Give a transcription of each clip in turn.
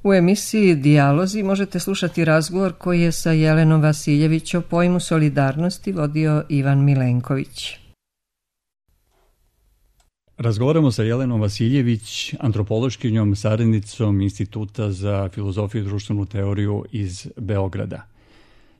U emisiji Dijalozi možete slušati razgovor koji je sa Jelenom Vasiljević o pojmu solidarnosti vodio Ivan Milenković. Razgovaramo sa Jelenom Vasiljević, antropološkinjom, saradnicom Instituta za filozofiju i društvenu teoriju iz Beograda.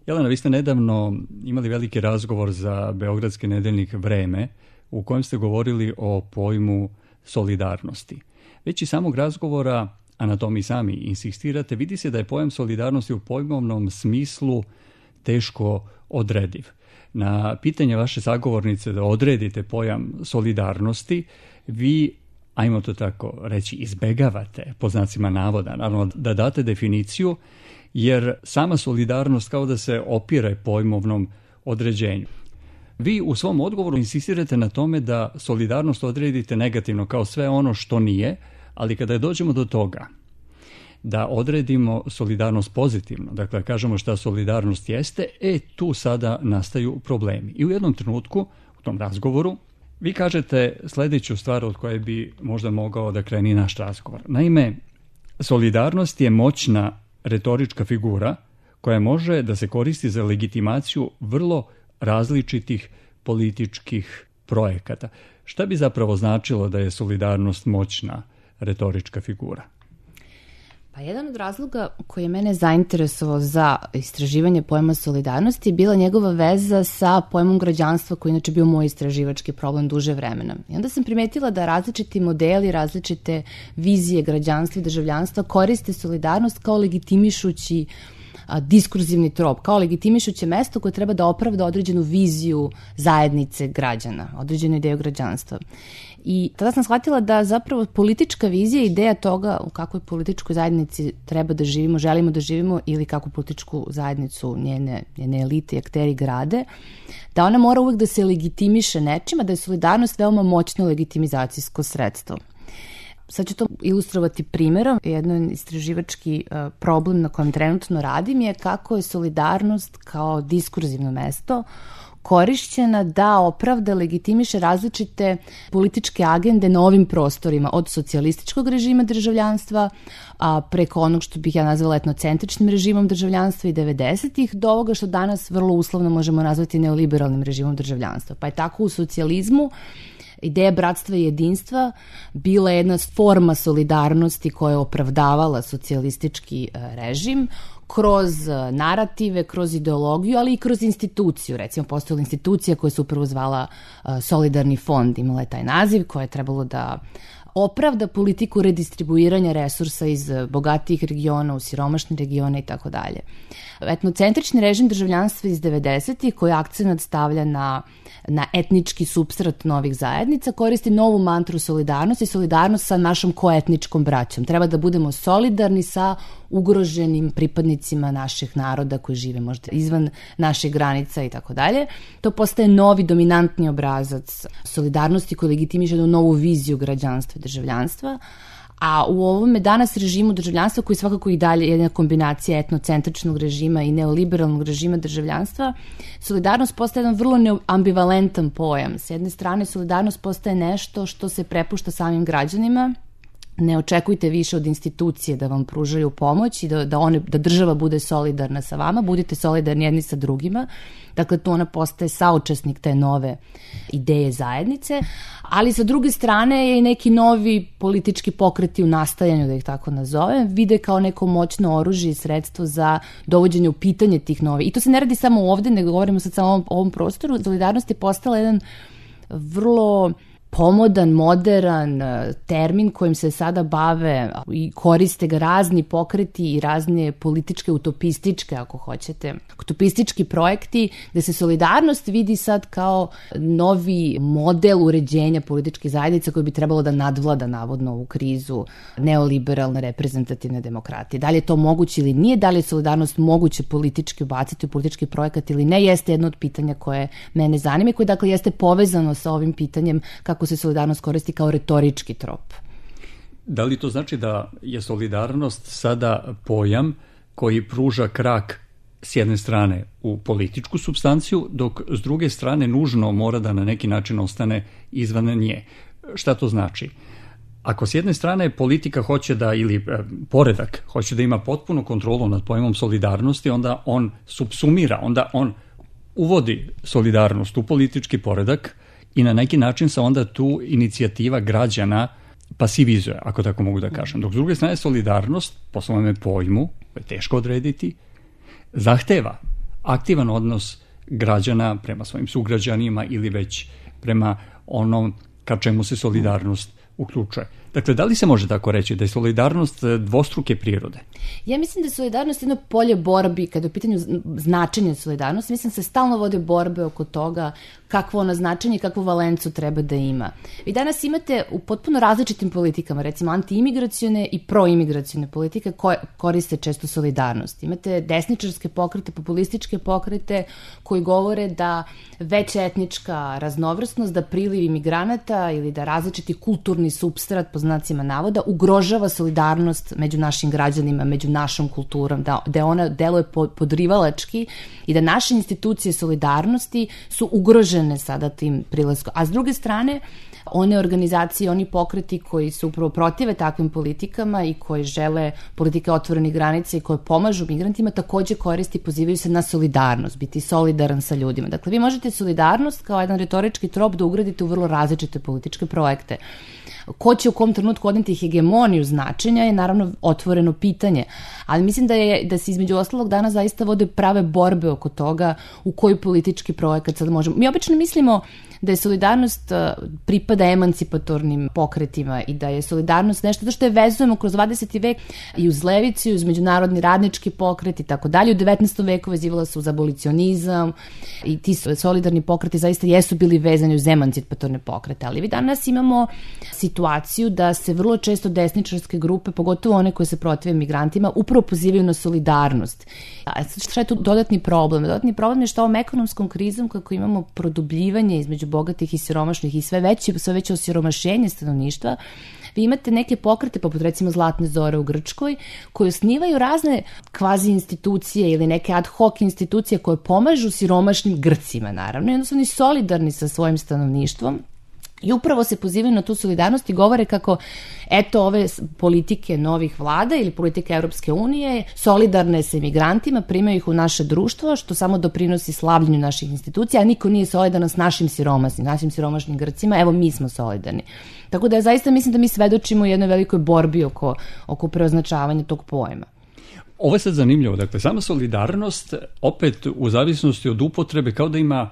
Jelena, vi ste nedavno imali veliki razgovor za beogradski nedeljnik Vreme u kojem ste govorili o pojmu solidarnosti. Već iz samog razgovora, a na tom i sami insistirate, vidi se da je pojam solidarnosti u pojmovnom smislu teško odrediv. Na pitanje vaše sagovornice da odredite pojam solidarnosti, vi, ajmo to tako reći, izbegavate, po znacima navoda, naravno da date definiciju, jer sama solidarnost kao da se opire pojmovnom određenju. Vi u svom odgovoru insistirate na tome da solidarnost odredite negativno kao sve ono što nije, ali kada dođemo do toga da odredimo solidarnost pozitivno, dakle kažemo šta solidarnost jeste, tu sada nastaju problemi. I u jednom trenutku, u tom razgovoru, vi kažete sljedeću stvar od koje bi možda mogao da kreni naš razgovor. Naime, solidarnost je moćna retorička figura koja može da se koristi za legitimaciju vrlo različitih političkih projekata. Šta bi zapravo značilo da je solidarnost moćna retorička figura? Pa jedan od razloga koji je mene zainteresovao za istraživanje pojma solidarnosti je bila njegova veza sa pojmom građanstva koji inače bio moj istraživački problem duže vremena. I onda sam primetila da različiti modeli, različite vizije građanstva i državljanstva koriste solidarnost kao legitimišući diskurzivni trop, kao legitimišuće mesto koje treba da opravda određenu viziju zajednice građana, određenu ideju građanstva. I tada sam shvatila da zapravo politička vizija, ideja toga u kakvoj političkoj zajednici treba da živimo, želimo da živimo ili kakvu političku zajednicu njene elite i akteri grade, da ona mora uvek da se legitimiše nečima, da je solidarnost veoma moćno legitimizacijsko sredstvo. Sad ću to ilustrovati primjerom. Jedan istraživački problem na kojem trenutno radim je kako je solidarnost kao diskurzivno mesto korišćena da opravda, legitimiše različite političke agende na ovim prostorima, od socijalističkog režima državljanstva, preko onog što bih ja nazvala etnocentričnim režimom državljanstva i 90-ih, do ovoga što danas vrlo uslovno možemo nazvati neoliberalnim režimom državljanstva. Pa je tako u socijalizmu ideja bratstva i jedinstva bila jedna forma solidarnosti koja je opravdavala socijalistički režim kroz narative, kroz ideologiju, ali i kroz instituciju. Recimo, postojala institucija koja se upravo zvala Solidarni fond, imala je taj naziv koja je trebalo da opravda politiku redistribuiranja resursa iz bogatijih regiona u siromašne regione i tako dalje. Etnocentrični režim državljanstva iz 90-ih koji akcenat stavlja na etnički supstrat novih zajednica koristi novu mantru solidarnosti, solidarnost sa našom koetničkom braćom. Treba da budemo solidarni sa ugroženim pripadnicima naših naroda koji žive možda izvan naših granica i tako dalje. To postaje novi dominantni obrazac solidarnosti koji legitimiše jednu novu viziju građanstva i državljanstva. A u ovome danas režimu državljanstva, koji svakako i dalje je jedna kombinacija etnocentričnog režima i neoliberalnog režima državljanstva, solidarnost postaje jedan vrlo ambivalentan pojam. S jedne strane, solidarnost postaje nešto što se prepušta samim građanima. Ne očekujte više od institucije da vam pružaju pomoć i da država bude solidarna sa vama, budite solidarni jedni sa drugima. Dakle, tu ona postaje saučesnik te nove ideje zajednice, ali sa druge strane je i neki novi politički pokreti u nastajanju, da ih tako nazovem, vide kao neko moćno oružje i sredstvo za dovođenje u pitanje tih novih. I to se ne radi samo ovde, nego govorimo sad samo o ovom prostoru. Solidarnost je postala jedan vrlo pomodan, modern termin kojim se sada bave i koriste ga razni pokreti i razne političke, utopističke, ako hoćete, utopistički projekti, gde se solidarnost vidi sad kao novi model uređenja političkih zajednica koji bi trebalo da nadvlada navodno ovu krizu neoliberalne reprezentativne demokratije. Da li je to moguće ili nije, da li je solidarnost moguće politički ubaciti u politički projekat ili ne, jeste jedno od pitanja koje mene zanima i koje dakle jeste povezano sa ovim pitanjem kako se solidarnost koristi kao retorički trop. Da li to znači da je solidarnost sada pojam koji pruža krak s jedne strane u političku supstanciju, dok s druge strane nužno mora da na neki način ostane izvan nje? Šta to znači? Ako s jedne strane politika hoće da, ili poredak, hoće da ima potpunu kontrolu nad pojmom solidarnosti, onda on subsumira, onda on uvodi solidarnost u politički poredak i na neki način se onda tu inicijativa građana pasivizuje, ako tako mogu da kažem. Dok s druge strane solidarnost, po svome pojmu, koje je teško odrediti, zahteva aktivan odnos građana prema svojim sugrađanima ili već prema onom ka čemu se solidarnost uključuje. Dakle, da li se može tako reći da je solidarnost dvostruke prirode? Ja mislim da je solidarnost jedno polje borbi, kada je u pitanju značenje solidarnosti, mislim da se stalno vode borbe oko toga kakvo ono značenje i kakvu valencu treba da ima. Vi danas imate u potpuno različitim politikama, recimo antiimigracione i proimigracione politike koje koriste često solidarnost. Imate desničarske pokrete, populističke pokrete koji govore da veća etnička raznovrsnost, da priliv imigranata ili da različiti kulturni supstrat, po znacima navoda, ugrožava solidarnost među našim građanima, među našom kulturom, da ona deluje podrivalački i da naše institucije solidarnosti su ugrožene sada tim prilaskom. A s druge strane, one organizacije, oni pokreti koji se upravo protive takvim politikama i koji žele politike otvorenih granica i koje pomažu migrantima, takođe koristi i pozivaju se na solidarnost, biti solidaran sa ljudima. Dakle, vi možete solidarnost kao jedan retorički trop da ugradite u vrlo različite političke projekte. Ko će u kom trenutku odneti hegemoniju značenja je naravno otvoreno pitanje, ali mislim da se između ostalog danas zaista vode prave borbe oko toga u koji politički projekat sad možemo. Mi obično mislimo da je solidarnost pripada emancipatornim pokretima i da je solidarnost nešto što je vezujemo kroz 20. vek i uz levicu, i uz međunarodni radnički pokret i tako dalje. U 19. veku vezivala se uz abolicionizam i ti solidarni pokreti zaista jesu bili vezani uz emancipatorne pokrete, ali vi danas imamo situaciju da se vrlo često desničarske grupe, pogotovo one koje se protive migrantima, upravo pozivaju na solidarnost. A šta je tu dodatni problem? Dodatni problem je što ovom ekonomskom krizom kako imamo produbljivanje između bogatih i siromašnih i sve veće osiromašenje stanovništva, vi imate neke pokrete, poput recimo Zlatne zore u Grčkoj, koji osnivaju razne kvazi institucije ili neke ad hoc institucije koje pomažu siromašnim Grcima, naravno, i onda su oni solidarni sa svojim stanovništvom. I upravo se pozivaju na tu solidarnost i govore kako, eto, ove politike novih vlada ili politike Europske unije solidarne sa imigrantima, primaju ih u naše društvo, što samo doprinosi slavljenju naših institucija, a niko nije solidaran s našim siromašnim Grcima, evo mi smo solidarni. Tako da ja zaista mislim da mi svedočimo jednoj velikoj borbi oko preoznačavanja tog pojma. Ovo je sad zanimljivo, dakle, sama solidarnost opet u zavisnosti od upotrebe kao da ima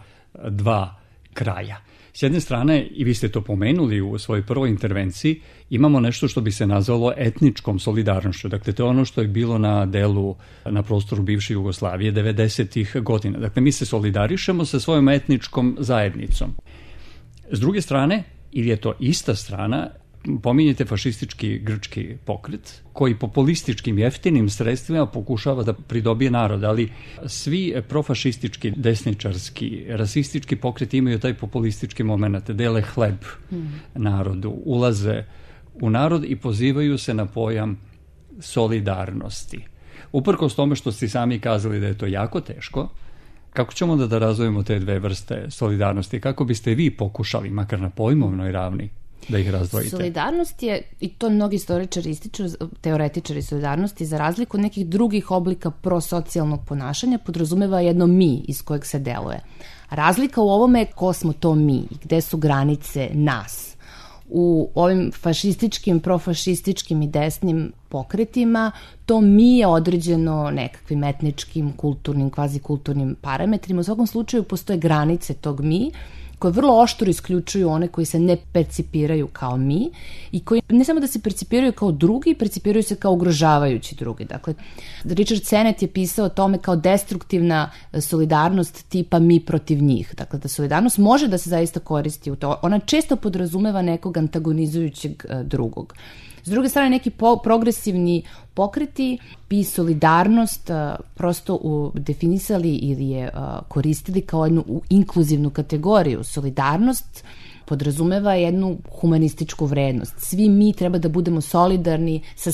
dva kraja. S jedne strane, i vi ste to pomenuli u svojoj prvoj intervenciji, imamo nešto što bi se nazvalo etničkom solidarnošću. Dakle, to je ono što je bilo na delu na prostoru bivše Jugoslavije 90-ih godina. Dakle, mi se solidarišemo sa svojom etničkom zajednicom. S druge strane, ili je to ista strana, pominjete fašistički grčki pokret, koji populističkim jeftinim sredstvima pokušava da pridobije narod, ali svi profašistički, desničarski, rasistički pokreti imaju taj populistički moment, dele hleb narodu, ulaze u narod i pozivaju se na pojam solidarnosti. Uprkos tome što ste sami kazali da je to jako teško, kako ćemo da razvojimo te dve vrste solidarnosti? Kako biste vi pokušali, makar na pojmovnoj ravni, da ih razdvojite? Solidarnost je, i to mnogi istoričari ističu, teoretičari solidarnosti, za razliku od nekih drugih oblika prosocijalnog ponašanja, podrazumeva jedno mi iz kojeg se deluje. Razlika u ovome je ko smo to mi, gde su granice nas. U ovim fašističkim, profašističkim i desnim pokretima to mi je određeno nekakvim etničkim, kulturnim, kvazikulturnim parametrima. U svakom slučaju postoje granice tog mi, koje vrlo oštro isključuju one koji se ne percipiraju kao mi i koji ne samo da se percipiraju kao drugi, percipiraju se kao ugrožavajući drugi. Dakle, Richard Sennett je pisao o tome kao destruktivna solidarnost tipa mi protiv njih. Dakle, da solidarnost može da se zaista koristi u to. Ona često podrazumeva nekog antagonizujućeg drugog. S druge strane, neki progresivni pokreti bi solidarnost prosto definisali ili je koristili kao jednu inkluzivnu kategoriju. Solidarnost podrazumeva jednu humanističku vrednost. Svi mi treba da budemo solidarni sa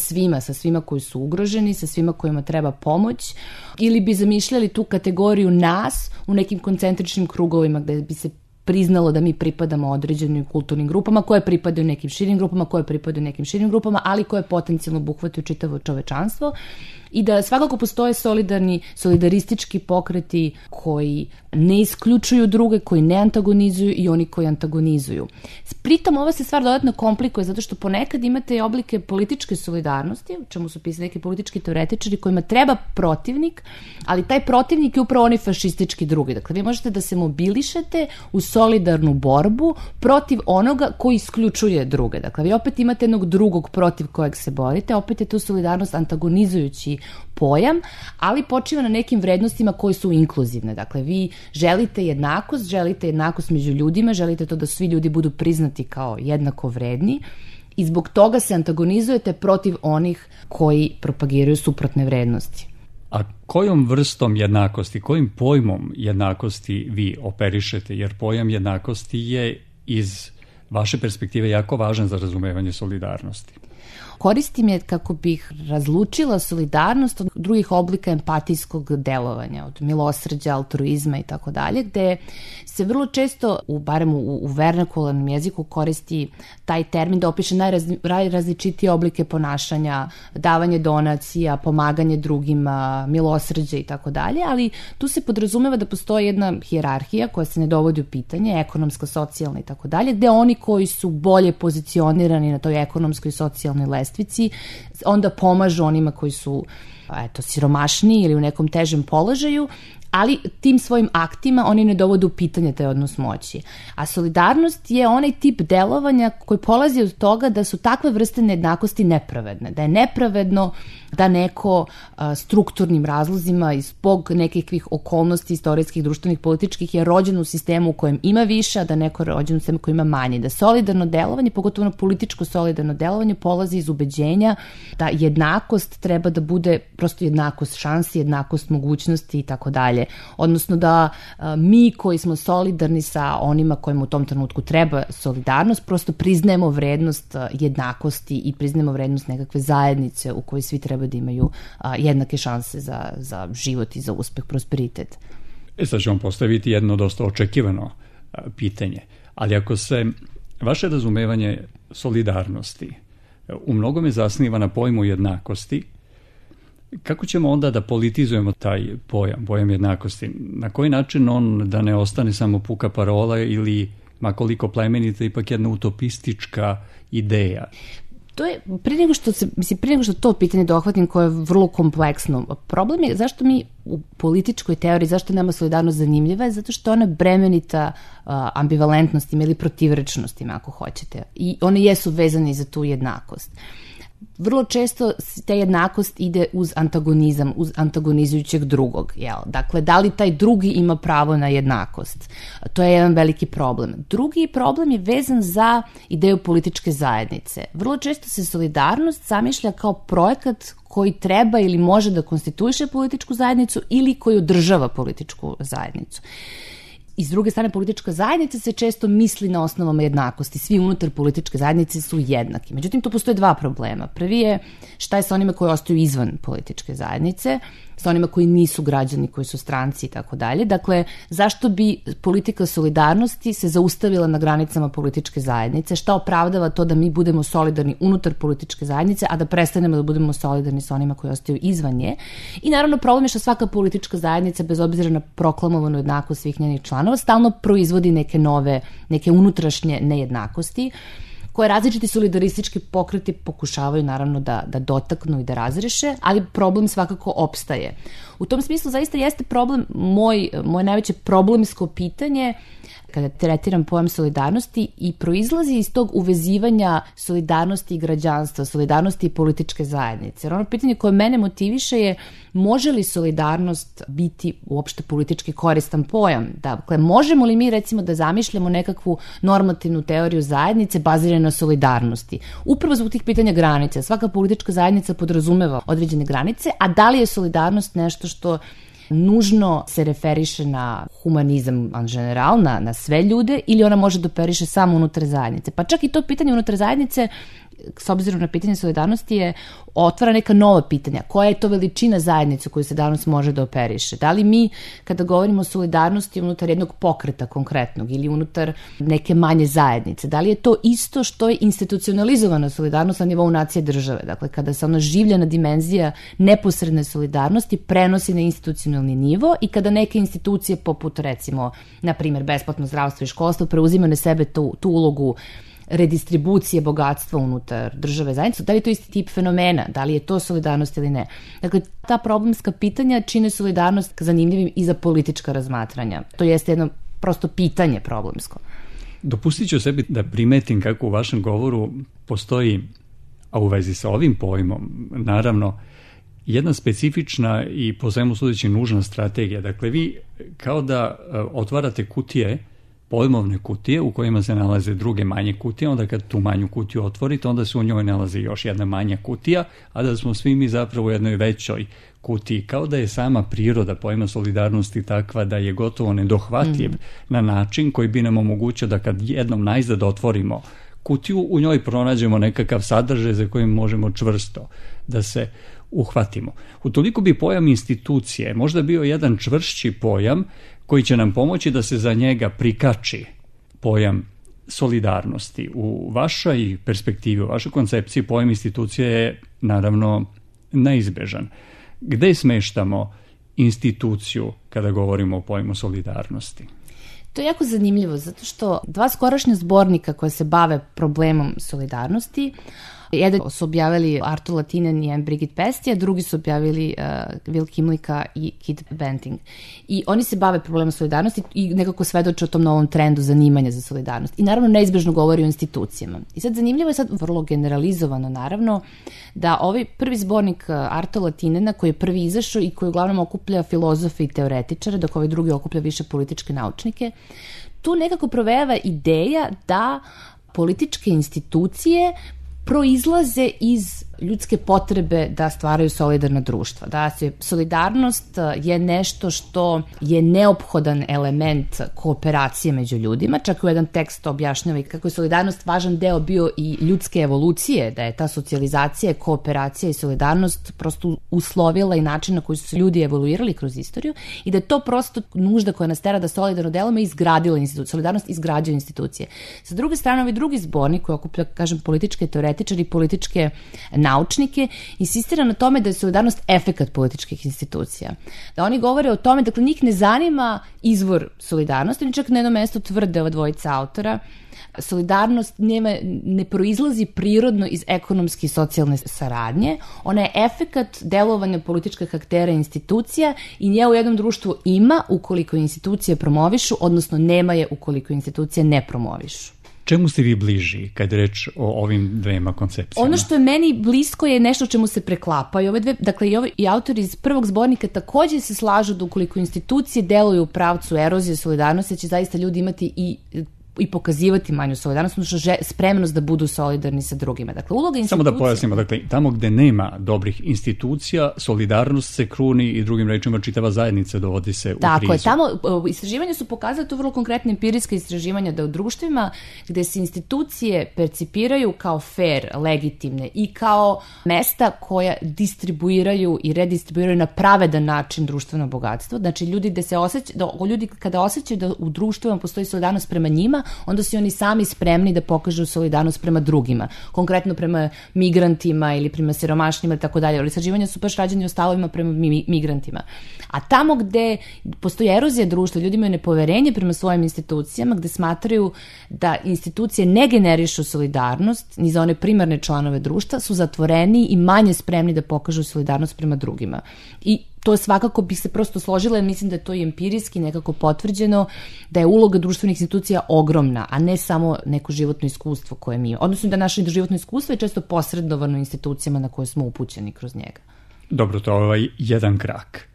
svima koji su ugroženi, sa svima kojima treba pomoć, ili bi zamišljali tu kategoriju nas u nekim koncentričnim krugovima gde bi se priznalo da mi pripadamo određenim kulturnim grupama, koje pripadaju nekim širim grupama, koje pripadaju nekim širim grupama, ali koje potencijalno obuhvataju čitavo čovečanstvo. I da svakako postoje solidaristički pokreti koji ne isključuju druge, koji ne antagonizuju i oni koji antagonizuju. Pritom ova se stvar dodatno komplikuje zato što ponekad imate oblike političke solidarnosti, o čemu su pisali neki politički teoretičari, kojima treba protivnik, ali taj protivnik je upravo oni fašistički drugi. Dakle, vi možete da se mobilišete u solidarnu borbu protiv onoga koji isključuje druge. Dakle, vi opet imate jednog drugog protiv kojeg se borite, opet je tu solidarnost antagonizujući pojam, ali počiva na nekim vrednostima koje su inkluzivne. Dakle, vi želite jednakost među ljudima, želite to da svi ljudi budu priznati kao jednako vredni i zbog toga se antagonizujete protiv onih koji propagiraju suprotne vrednosti. A kojom vrstom jednakosti, kojim pojmom jednakosti vi operišete? Jer pojam jednakosti je iz vaše perspektive jako važan za razumevanje solidarnosti. Koristim je kako bih razlučila solidarnost od drugih oblika empatijskog delovanja, od milosrđa, altruizma i tako dalje, gde se vrlo često, barem u vernakularnom jeziku, koristi taj termin da opiše najrazličitije oblike ponašanja, davanje donacija, pomaganje drugima, milosrđe i tako dalje, ali tu se podrazumeva da postoji jedna hijerarhija koja se ne dovodi u pitanje, ekonomska, socijalna i tako dalje, gde oni koji su bolje pozicionirani na toj ekonomskoj i socijalnoj lestvici onda pomažu onima koji su siromašniji ili u nekom težem položaju, ali tim svojim aktima oni ne dovode u pitanje taj odnos moći. A solidarnost je onaj tip delovanja koji polazi od toga da su takve vrste nejednakosti nepravedne, da je nepravedno da neko strukturnim razlozima i zbog nekakvih okolnosti istorijskih, društvenih, političkih je rođen u sistemu u kojem ima više, a da neko je rođen u sistemu u kojem ima manje. Da solidarno delovanje, pogotovo političko solidarno delovanje, polazi iz ubeđenja da jednakost treba da bude prosto jednakost šansi, jednakost mogućnosti i tako dalje. Odnosno da mi koji smo solidarni sa onima kojima u tom trenutku treba solidarnost, prosto priznajemo vrednost jednakosti i priznajemo vrednost nekakve zajednice u kojoj svi treba da imaju jednake šanse za život i za uspeh, prosperitet. Sad ću vam postaviti jedno dosta očekivano pitanje, ali ako se vaše razumevanje solidarnosti u mnogome zasniva na pojmu jednakosti, kako ćemo onda da politizujemo taj pojam jednakosti? Na koji način on da ne ostane samo puka parola ili makoliko plemenita, ipak jedna utopistička ideja? To je, prije nego što to pitanje dohvatim koje je vrlo kompleksno, problem je zašto mi u političkoj teoriji, zašto nama solidarnost zanimljiva je zato što ona bremenita ambivalentnostima ili protivrečnostima ako hoćete i one jesu vezane za tu jednakost. Vrlo često ta jednakost ide uz antagonizam, uz antagonizujućeg drugog. Dakle, da li taj drugi ima pravo na jednakost? To je jedan veliki problem. Drugi problem je vezan za ideju političke zajednice. Vrlo često se solidarnost zamišlja kao projekat koji treba ili može da konstituiše političku zajednicu ili koji održava političku zajednicu. I s druge strane, politička zajednica se često misli na osnovama jednakosti. Svi unutar političke zajednice su jednaki. Međutim, tu postoje dva problema. Prvi je šta je sa onima koji ostaju izvan političke zajednice, sa onima koji nisu građani, koji su stranci i tako dalje. Dakle, zašto bi politika solidarnosti se zaustavila na granicama političke zajednice? Šta opravdava to da mi budemo solidarni unutar političke zajednice, a da prestanemo da budemo solidarni sa onima koji ostaju izvan nje? I naravno, problem je što svaka politička zajednica, bez obzira na proklamovanu jednakost svih njenih članova, stalno proizvodi neke unutrašnje nejednakosti, koje različiti solidaristički pokreti pokušavaju naravno da dotaknu i da razreše, ali problem svakako opstaje. U tom smislu zaista jeste problem, moje najveće problemsko pitanje kada tretiram pojam solidarnosti i proizlazi iz tog uvezivanja solidarnosti i građanstva, solidarnosti i političke zajednice. Jer ono pitanje koje mene motiviše je može li solidarnost biti uopšte politički koristan pojam? Dakle, možemo li mi recimo da zamišljamo nekakvu normativnu teoriju zajednice baziranu na solidarnosti? Upravo zbog tih pitanja granice. Svaka politička zajednica podrazumeva određene granice, a da li je solidarnost nešto što nužno se referiše na humanizam en general, na sve ljude, ili ona može da operiše samo unutar zajednice. Pa čak i to pitanje unutar zajednice, s obzirom na pitanje solidarnosti, otvara neka nova pitanja. Koja je to veličina zajednice koju se danas može da operiše? Da li mi, kada govorimo o solidarnosti unutar jednog pokreta konkretnog ili unutar neke manje zajednice, da li je to isto što je institucionalizovana solidarnost na nivou nacije države? Dakle, kada se ona življena dimenzija neposredne solidarnosti prenosi na institucionalni nivo i kada neke institucije poput, recimo, na primjer, besplatno zdravstvo i školstvo preuzima na sebe tu ulogu redistribucije bogatstva unutar države zajednice, da li je to isti tip fenomena, da li je to solidarnost ili ne. Dakle, ta problemska pitanja čine solidarnost zanimljivim i za politička razmatranja. To jeste jedno prosto pitanje problemsko. Dopustit ću sebi da primetim kako u vašem govoru postoji, a u vezi sa ovim pojmom, naravno, jedna specifična i po svemu sudeći nužna strategija. Dakle, vi kao da otvarate kutije, pojmovne kutije u kojima se nalaze druge manje kutije, onda kad tu manju kutiju otvorite, onda se u njoj nalazi još jedna manja kutija, a da smo svi mi zapravo u jednoj većoj kutiji. Kao da je sama priroda pojma solidarnosti takva da je gotovo nedohvatljiv na način koji bi nam omogućio da kad jednom najzad otvorimo kutiju, u njoj pronađemo nekakav sadržaj za kojim možemo čvrsto da se uhvatimo. Utoliko bi pojam institucije možda bio jedan čvršći pojam koji će nam pomoći da se za njega prikači pojam solidarnosti. U vašoj perspektivi, u vašoj koncepciji pojam institucije je naravno neizbežan. Gde smeštamo instituciju kada govorimo o pojmu solidarnosti? To je jako zanimljivo, zato što dva skorašnja zbornika koja se bave problemom solidarnosti, jedan su objavili Artur Latinen i Brigitte Pesti, a drugi su objavili Will Kimlicka i Kit Benting. I oni se bave problemom solidarnosti i nekako svedoče o tom novom trendu zanimanja za solidarnost. I naravno neizbežno govori o institucijama. I sad zanimljivo je sad vrlo generalizovano naravno da ovaj prvi zbornik Artura Latinena koji je prvi izašao i koji uglavnom okuplja filozofe i teoretičare, dok ovaj drugi okuplja više političke naučnike, tu nekako provejava ideja da političke institucije proizlaze iz ljudske potrebe da stvaraju solidarna društva. Da se solidarnost je nešto što je neophodan element kooperacije među ljudima. Čak u jedan tekst objašnjava i kako je solidarnost važan deo bio i ljudske evolucije, da je ta socijalizacija, kooperacija i solidarnost prosto uslovila i način na koji su se ljudi evoluirali kroz istoriju i da je to prosto nužda koja nas tera da solidarno delamo i izgradila institucije. Solidarnost izgrađuje institucije. Sa druge strane, ovaj drugi zbornik koji okuplja, kažem, političke teoretičare i političke naučnike, insistira na tome da je solidarnost efekat političkih institucija. Da oni govore o tome, dakle, njih ne zanima izvor solidarnosti, oni čak na jednom mestu tvrde ova dvojica autora, solidarnost ne proizlazi prirodno iz ekonomske i socijalne saradnje, ona je efekat delovanja političkih aktera i institucija i nje u jednom društvu ima ukoliko institucije promovišu, odnosno nema je ukoliko institucije ne promovišu. Čemu ste vi bliži kad je reč o ovim dvema koncepcijama? Ono što je meni blisko je nešto čemu se preklapaju ove dve, dakle i autori iz prvog zbornika takođe se slažu da ukoliko institucije deluju u pravcu erozije solidarnosti, će zaista ljudi imati i pokazivati manju solidarnost, odnosno spremnost da budu solidarni sa drugima. Dakle, uloga institucija... Samo da pojasnimo, dakle, tamo gde nema dobrih institucija, solidarnost se kruni i drugim rečima čitava zajednica dovodi se u krizu. Tako je, tamo istraživanja su pokazali, to vrlo konkretne empirijska istraživanja, da u društvima gde se institucije percipiraju kao fair, legitimne i kao mesta koja distribuiraju i redistribuiraju na pravedan način društveno bogatstvo, znači ljudi kada osjećaju da u društvima postoji solidarnost prema njima, onda su oni sami spremni da pokažu solidarnost prema drugima, konkretno prema migrantima ili prema siromašnima i tako dalje. Istraživanja su baš rađeni o stavovima prema migrantima. A tamo gde postoji erozija društva, ljudi imaju nepoverenje prema svojim institucijama, gde smatraju da institucije ne generišu solidarnost ni za one primarne članove društva, su zatvoreni i manje spremni da pokažu solidarnost prema drugima. I to svakako bi se prosto složila, jer mislim da je to i empirijski nekako potvrđeno, da je uloga društvenih institucija ogromna, a ne samo neko životno iskustvo koje mi imamo. Odnosno da naše životno iskustvo je često posredovano institucijama na koje smo upućeni kroz njega. Dobro, to je jedan krak.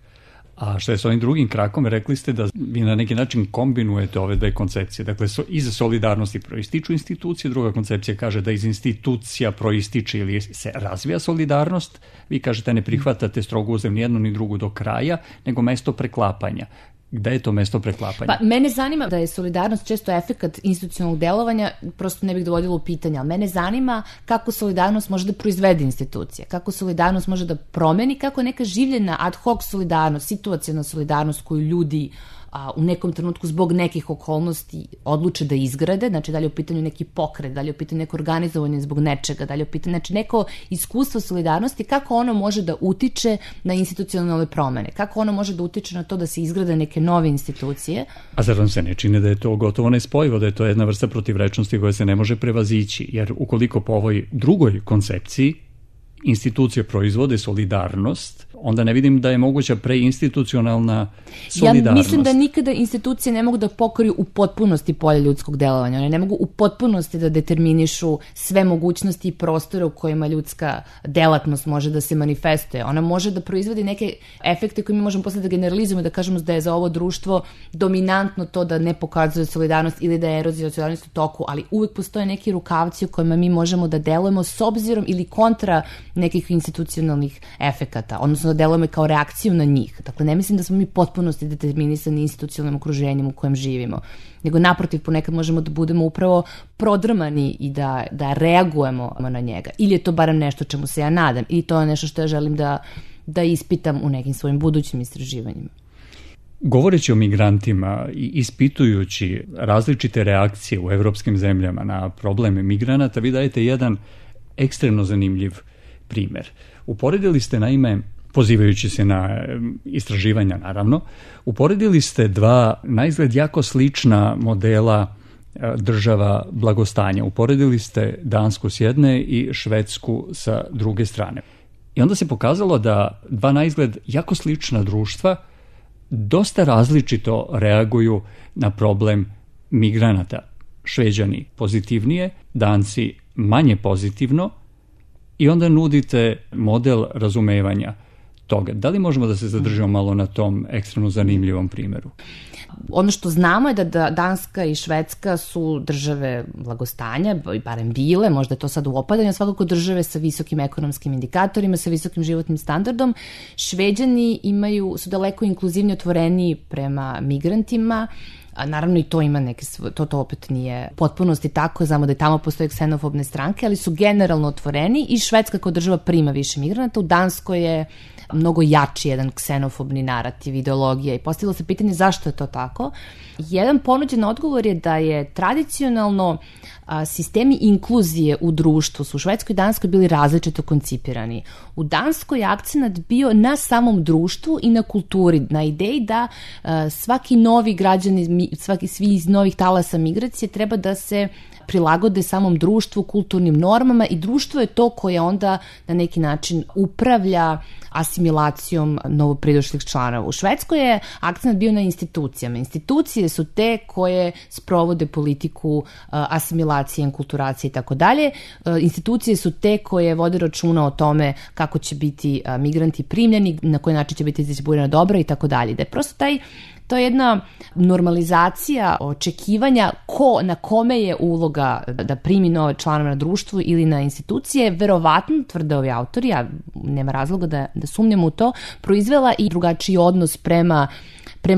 A što je s ovim drugim krakom, rekli ste da vi na neki način kombinujete ove dve koncepcije. Dakle, iz solidarnosti proističu institucije, druga koncepcija kaže da iz institucija proističe ili se razvija solidarnost. Vi kažete ne prihvatate strogo uzem ni jednu ni drugu do kraja, nego mesto preklapanja. Gde je to mesto preklapanja? Pa, mene zanima da je solidarnost često efekat institucionalnog delovanja, prosto ne bih dovodila u pitanje, ali mene zanima kako solidarnost može da proizvede institucije, kako solidarnost može da promeni, kako neka življena ad hoc solidarnost, situacijna solidarnost koju ljudi u nekom trenutku zbog nekih okolnosti odluče da izgrade, znači da li je u pitanju neki pokret, da li je u pitanju neko organizovanje zbog nečega, da li je u pitanju, znači neko iskustvo solidarnosti, kako ono može da utiče na institucionalne promene, kako ono može da utiče na to da se izgrade neke nove institucije. A zar vam se ne čini da je to gotovo nespojivo, da je to jedna vrsta protivrečnosti koja se ne može prevazići, jer ukoliko po ovoj drugoj koncepciji institucije proizvode solidarnost, onda ne vidim da je moguća preinstitucionalna solidarnost. Ja mislim da nikada institucije ne mogu da pokriju u potpunosti polje ljudskog delovanja. One ne mogu u potpunosti da determinišu sve mogućnosti i prostore u kojima ljudska delatnost može da se manifestuje. Ona može da proizvodi neke efekte koje mi možemo posle da generalizujemo i da kažemo da je za ovo društvo dominantno to da ne pokazuje solidarnost ili da je erozija solidarnosti u toku, ali uvek postoje neki rukavci u kojima mi možemo da delujemo s obzirom ili kontra nekih institucionalnih efekata, odnosno da delujemo kao reakciju na njih. Dakle, ne mislim da smo mi potpunosti determinisani institucionalnim okruženjem u kojem živimo, nego naprotiv ponekad možemo da budemo upravo prodrmani i da reagujemo na njega. Ili je to barem nešto čemu se ja nadam, ili to je nešto što ja želim da ispitam u nekim svojim budućim istraživanjima. Govoreći o migrantima i ispitujući različite reakcije u evropskim zemljama na probleme migranata, vi dajete jedan ekstremno zanimljiv primer. Uporedili ste, naime, pozivajući se na istraživanja, naravno, uporedili ste dva naizgled jako slična modela država blagostanja. Uporedili ste Dansku s jedne i Švedsku sa druge strane. I onda se pokazalo da dva naizgled jako slična društva dosta različito reaguju na problem migranata. Šveđani pozitivnije, Danci manje pozitivno, i onda nudite model razumevanja toga. Da li možemo da se zadržimo malo na tom ekstremno zanimljivom primjeru? Ono što znamo je da Danska i Švedska su države blagostanja, barem bile, možda je to sad u opadanju, svakako države sa visokim ekonomskim indikatorima, sa visokim životnim standardom. Šveđani su daleko inkluzivni, otvoreniji prema migrantima. Naravno i to ima neke, to opet nije potpunosti tako, znamo da i tamo postoje ksenofobne stranke, ali su generalno otvoreni i Švedska kao država prima više migranata. U Danskoj je mnogo jači jedan ksenofobni narativ, ideologija i postavilo se pitanje zašto je to tako. Jedan ponuđen odgovor je da je tradicionalno sistemi inkluzije u društvu su u Švedskoj i Danskoj bili različito koncipirani. U Danskoj je akcenat bio na samom društvu i na kulturi, na ideji da svaki novi građani, svi iz novih talasa migracije treba da se prilagode samom društvu, kulturnim normama i društvo je to koje onda na neki način upravlja asimilacijom novopridošlih članova. U Švedskoj je akcent bio na institucijama. Institucije su te koje sprovode politiku asimilacije, enkulturacije i tako dalje. Institucije su te koje vode računa o tome kako će biti migranti primljeni, na koji način će biti distribuirana dobra i tako dalje. Da je prosto to je jedna normalizacija očekivanja na kome je uloga da primi nove članove na društvu ili na institucije, verovatno, tvrde ovi autori, ja nema razloga da sumnjamo u to, proizvela i drugačiji odnos prema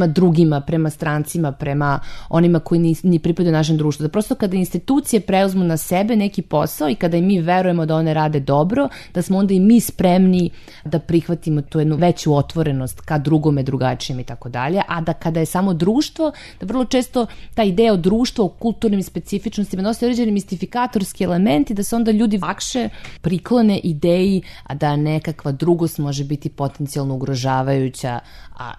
drugima, prema strancima, prema onima koji ni pripadaju našem društvu. Da prosto kada institucije preuzmu na sebe neki posao i kada i mi verujemo da one rade dobro, da smo onda i mi spremni da prihvatimo tu jednu veću otvorenost ka drugome, drugačijem i tako dalje, a da kada je samo društvo, da vrlo često ta ideja o društvu, o kulturnim specifičnostima nosi određeni mistifikatorski elementi, da se onda ljudi lakše priklone ideji da nekakva drugost može biti potencijalno ugrožavajuća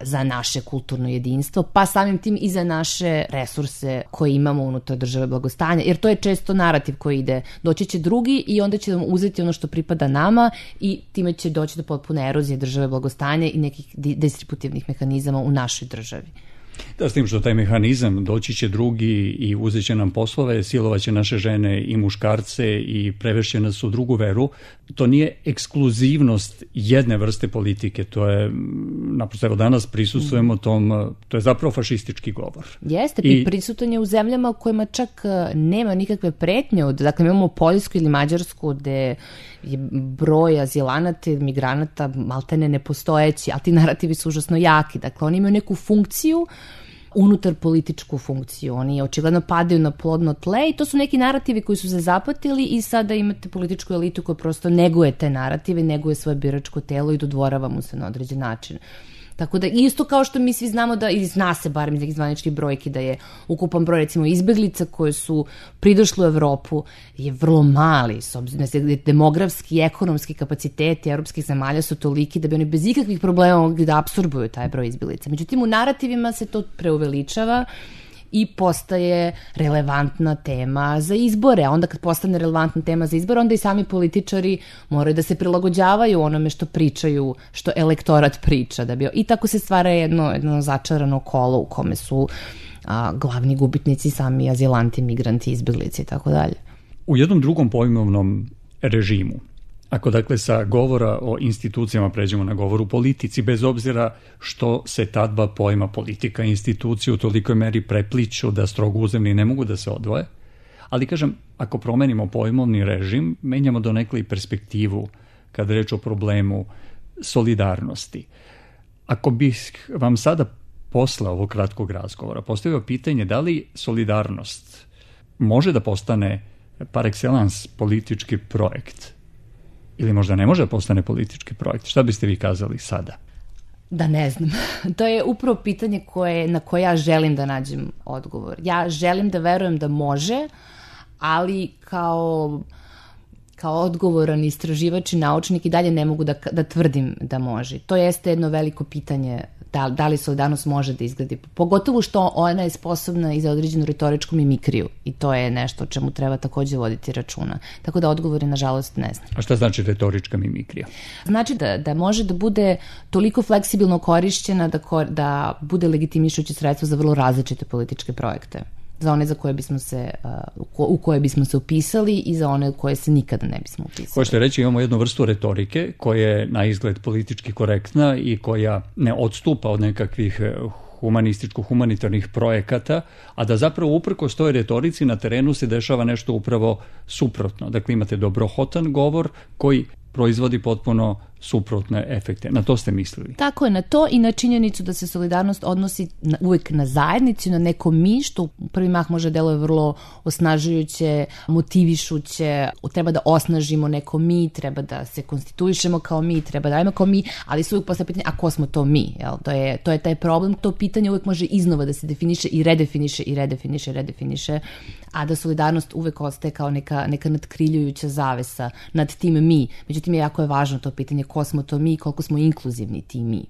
za naše kulturno jedinstvo, pa samim tim i za naše resurse koje imamo unutar države blagostanja, jer to je često narativ koji ide, doći će drugi i onda će nam uzeti ono što pripada nama i time će doći do potpune erozije države blagostanja i nekih distributivnih mehanizama u našoj državi. Da, s tim što taj mehanizam doći će drugi i uzet će nam poslove, silovaće naše žene i muškarce i prevešće nas u drugu veru. To nije ekskluzivnost jedne vrste politike, to je, naprosto, evo danas prisustvujemo tom, to je zapravo fašistički govor. Jeste, i prisutan je u zemljama u kojima čak nema nikakve pretnje, dakle imamo Poljsku ili Mađarsku gde je broj azilanata i migranata maltene nepostojeći, ali ti narativi su užasno jaki, dakle oni imaju neku funkciju, unutar političku funkciju. Oni očigledno padaju na plodno tle i to su neki narativi koji su se zapatili i sada imate političku elitu koja prosto neguje te narative, neguje svoje biračko telo i dodvorava mu se na određen način. Tako da isto kao što mi svi znamo da, i zna se barem iz nekih zvaničnih brojki, da je ukupan broj recimo izbeglica koje su pridošle u Evropu je vrlo mali, s obzirom da demografski i ekonomski kapaciteti evropskih zemalja su toliki da bi oni bez ikakvih problema mogli da apsorbuju taj broj izbeglica. Međutim, u narativima se to preuveličava i postaje relevantna tema za izbore. A onda kad postane relevantna tema za izbore, onda i sami političari moraju da se prilagođavaju onome što pričaju, što elektorat priča. I tako se stvara jedno začarano kolo u kome su glavni gubitnici sami azilanti, migranti, izbeglici i tako dalje. U jednom drugom pojmovnom režimu, ako dakle sa govora o institucijama pređemo na govor u politici, bez obzira što se ta dva pojma politika i institucije u tolikoj meri prepliću da strogo uzemni ne mogu da se odvoje, ali kažem, ako promenimo pojmovni režim, menjamo donekle i perspektivu kada reč o problemu solidarnosti. Ako bih vam sada posle ovog kratkog razgovora postavio pitanje da li solidarnost može da postane par excellence politički projekt, ili možda ne može da postane politički projekt, šta biste vi kazali sada? Da ne znam. To je upravo pitanje na koje ja želim da nađem odgovor. Ja želim da verujem da može, ali kao odgovoran istraživač i naučnik i dalje ne mogu da tvrdim da može. To jeste jedno veliko pitanje da li solidarnost može da izgledi. Pogotovo što ona je sposobna i za određenu retoričku mimikriju i to je nešto o čemu treba takođe voditi računa. Tako da odgovore, nažalost, ne znam. A šta znači retorička mimikrija? Znači da može da bude toliko fleksibilno korišćena da bude legitimišuće sredstvo za vrlo različite političke projekte. Za one u koje bismo se upisali i za one u koje se nikada ne bismo upisali. Hoćete reći, imamo jednu vrstu retorike koja je na izgled politički korektna i koja ne odstupa od nekakvih humanitarnih projekata, a da zapravo uprkos toj retorici na terenu se dešava nešto upravo suprotno. Dakle, imate dobrohotan govor koji proizvodi potpuno suprotne efekte. Na to ste mislili? Tako je, na to i na činjenicu da se solidarnost odnosi uvek na zajednicu, na neko mi, što u prvi mah može deluje vrlo osnažujuće, motivišuće, treba da osnažimo neko mi, treba da se konstituišemo kao mi, treba da imamo kao mi, ali su uvek posle pitanje, a ko smo to mi? Jel? To je taj problem, to pitanje uvek može iznova da se definiše i redefiniše, a da solidarnost uvek ostaje kao neka nadkriljujuća zavesa nad tim mi. Međutim, jako je važno to pitanje ko smo to mi i koliko smo inkluzivni ti mi.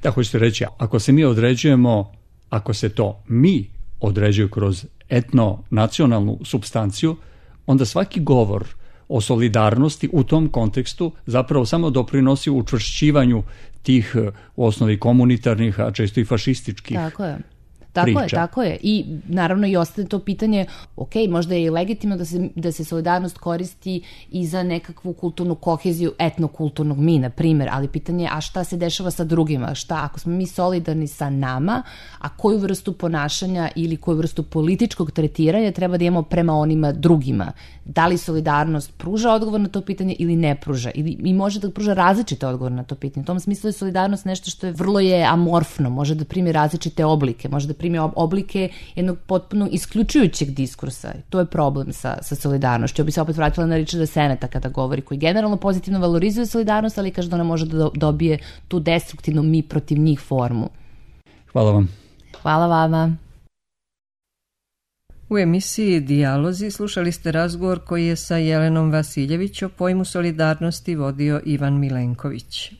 Da, hoćete reći, ako se mi određujemo, ako se to mi određuju kroz etno-nacionalnu supstanciju, onda svaki govor o solidarnosti u tom kontekstu zapravo samo doprinosi učvršćivanju tih u osnovi komunitarnih, a često i fašističkih Tako je. I naravno i ostaje to pitanje, ok, možda je i legitimno da se solidarnost koristi i za nekakvu kulturnu koheziju etnokulturnog mi, na primjer, ali pitanje je, a šta se dešava sa drugima? Šta, ako smo mi solidarni sa nama, a koju vrstu ponašanja ili koju vrstu političkog tretiranja treba da imamo prema onima drugima? Da li solidarnost pruža odgovor na to pitanje ili ne pruža? I može da pruža različite odgovore na to pitanje. U tom smislu je solidarnost nešto što je vrlo amorfno, može da primi različite oblike, može da primi oblike jednog potpuno isključujućeg diskursa. To je problem sa solidarnošću. Ja bih se opet vratila na Richarda Seneta kada govori, koji generalno pozitivno valorizuje solidarnost, ali kaže da ona može da dobije tu destruktivnu mi protiv njih formu. Hvala vam. Hvala vama. U emisiji Dijalozi slušali ste razgovor koji je sa Jelenom Vasiljević o pojmu solidarnosti vodio Ivan Milenković.